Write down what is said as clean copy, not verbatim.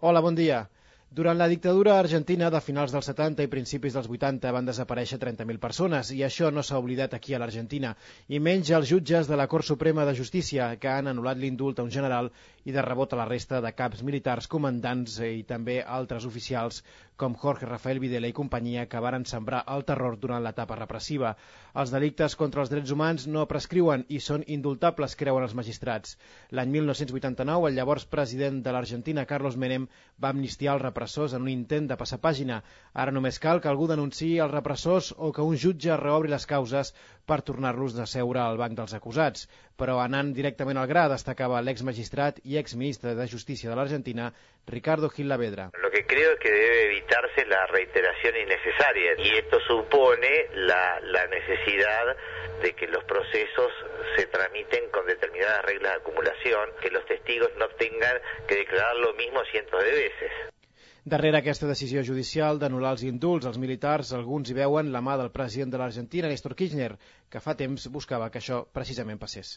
Hola, bon dia. Durant la dictadura argentina de finals dels 70 i principis dels 80 van desaparèixer 30.000 persones i això no s'ha oblidat aquí a l'Argentina, i menys els jutges de la Cort Suprema de Justícia, que han anul·lat l'indult a un general i de rebot a la resta de caps militars, comandants i també altres oficials com Jorge Rafael Videla i companyia, que varen sembrar el terror durant l'etapa repressiva. Els delictes contra els drets humans no prescriuen i són indultables, creuen els magistrats. L'any 1989, el llavors president de l'Argentina, Carlos Menem, va amnistiar els repressors en un intent de passar pàgina. Ara només cal que algú denunciï els repressors o que un jutge reobri les causes per tornar-los a seure al banc dels acusats. Però anant directament al gra, destacava l'exmagistrat i exministre de Justícia de l'Argentina, Ricardo Gil Lavedra. Lo que creo es que debe evitarse la reiteración innecesaria y esto supone la necesidad de que los procesos se tramiten con determinadas reglas de acumulación, que los testigos no tengan que declarar lo mismo cientos de veces. Darrere aquesta decisió judicial d'anul·lar els indults als militars, alguns hi veuen la mà del president de l'Argentina, Néstor Kirchner, que fa temps buscava que això precisament passés.